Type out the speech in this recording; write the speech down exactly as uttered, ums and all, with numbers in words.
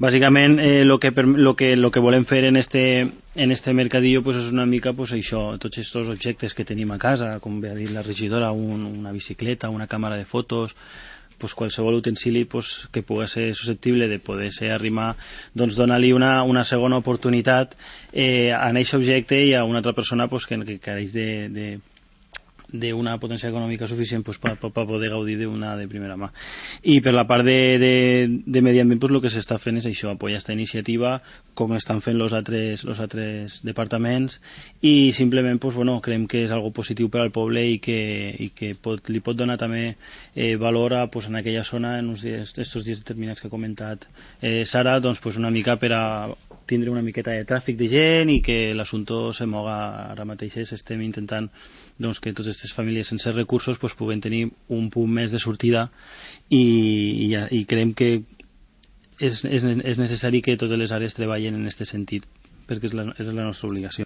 bàsicament el eh, que, lo que, lo que volem fer en este, en este mercadillo pues, és una mica pues, això, tots aquests objectes que tenim a casa, com bé ha dit la regidora, un, una bicicleta, una càmera de fotos, pues, qualsevol utensili pues, que pugui ser susceptible de poder ser arrimar, doncs donar-li una, una segona oportunitat eh, a aquest objecte i a una altra persona pues, que, que careix de, de d'una potència econòmica suficient pues, per pa, pa poder gaudir d'una de primera mà. I per la part de, de, de medi ambient pues, el que s'està fent és això, apoyar aquesta iniciativa com estan fent els altres, los altres departaments i simplement pues, bueno, creiem que és algo positiu per al poble i que, i que pot, li pot donar també eh, valor a, pues, en aquella zona en uns dies, estos dies determinats que ha comentat eh, Sara, doncs, pues, una mica per a tindre una miqueta de tràfic de gent i que l'assumpte se moga ara mateix. Estem intentant doncs, que totes aquestes famílies sense recursos pues, puguen tenir un punt més de sortida i, i, i creiem que és, és, és necessari que totes les àrees treballen en aquest sentit perquè és la, és la nostra obligació.